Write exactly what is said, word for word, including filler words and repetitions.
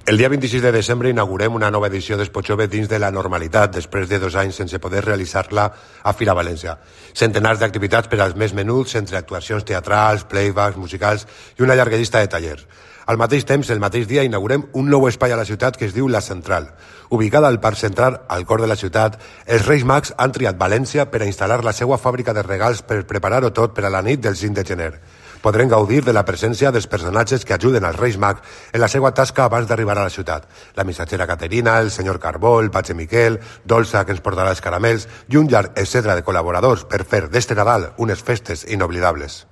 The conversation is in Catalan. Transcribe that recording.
El dia vint-i-sis de desembre inaugurem una nova edició d'Expotxove dins de la normalitat, després de dos anys sense poder realitzar-la a Fira València. Centenars d'activitats per als més menuts, entre actuacions teatrals, playbacks, musicals i una llarga llista de tallers. Al mateix temps, el mateix dia, inaugurem un nou espai a la ciutat que es diu La Central. Ubicada al Parc Central, al cor de la ciutat, els Reis Mags han triat València per a instal·lar la seva fàbrica de regals per preparar-ho tot per a la nit del cinc de gener. Podrem gaudir de la presència dels personatges que ajuden als Reis Mags en la seva tasca abans d'arribar a la ciutat. La missatgera Caterina, el senyor Carbó, el patge Miquel, Dolça, que ens portarà els caramels, i un llarg etcètera de col·laboradors per fer d'este Nadal unes festes inoblidables.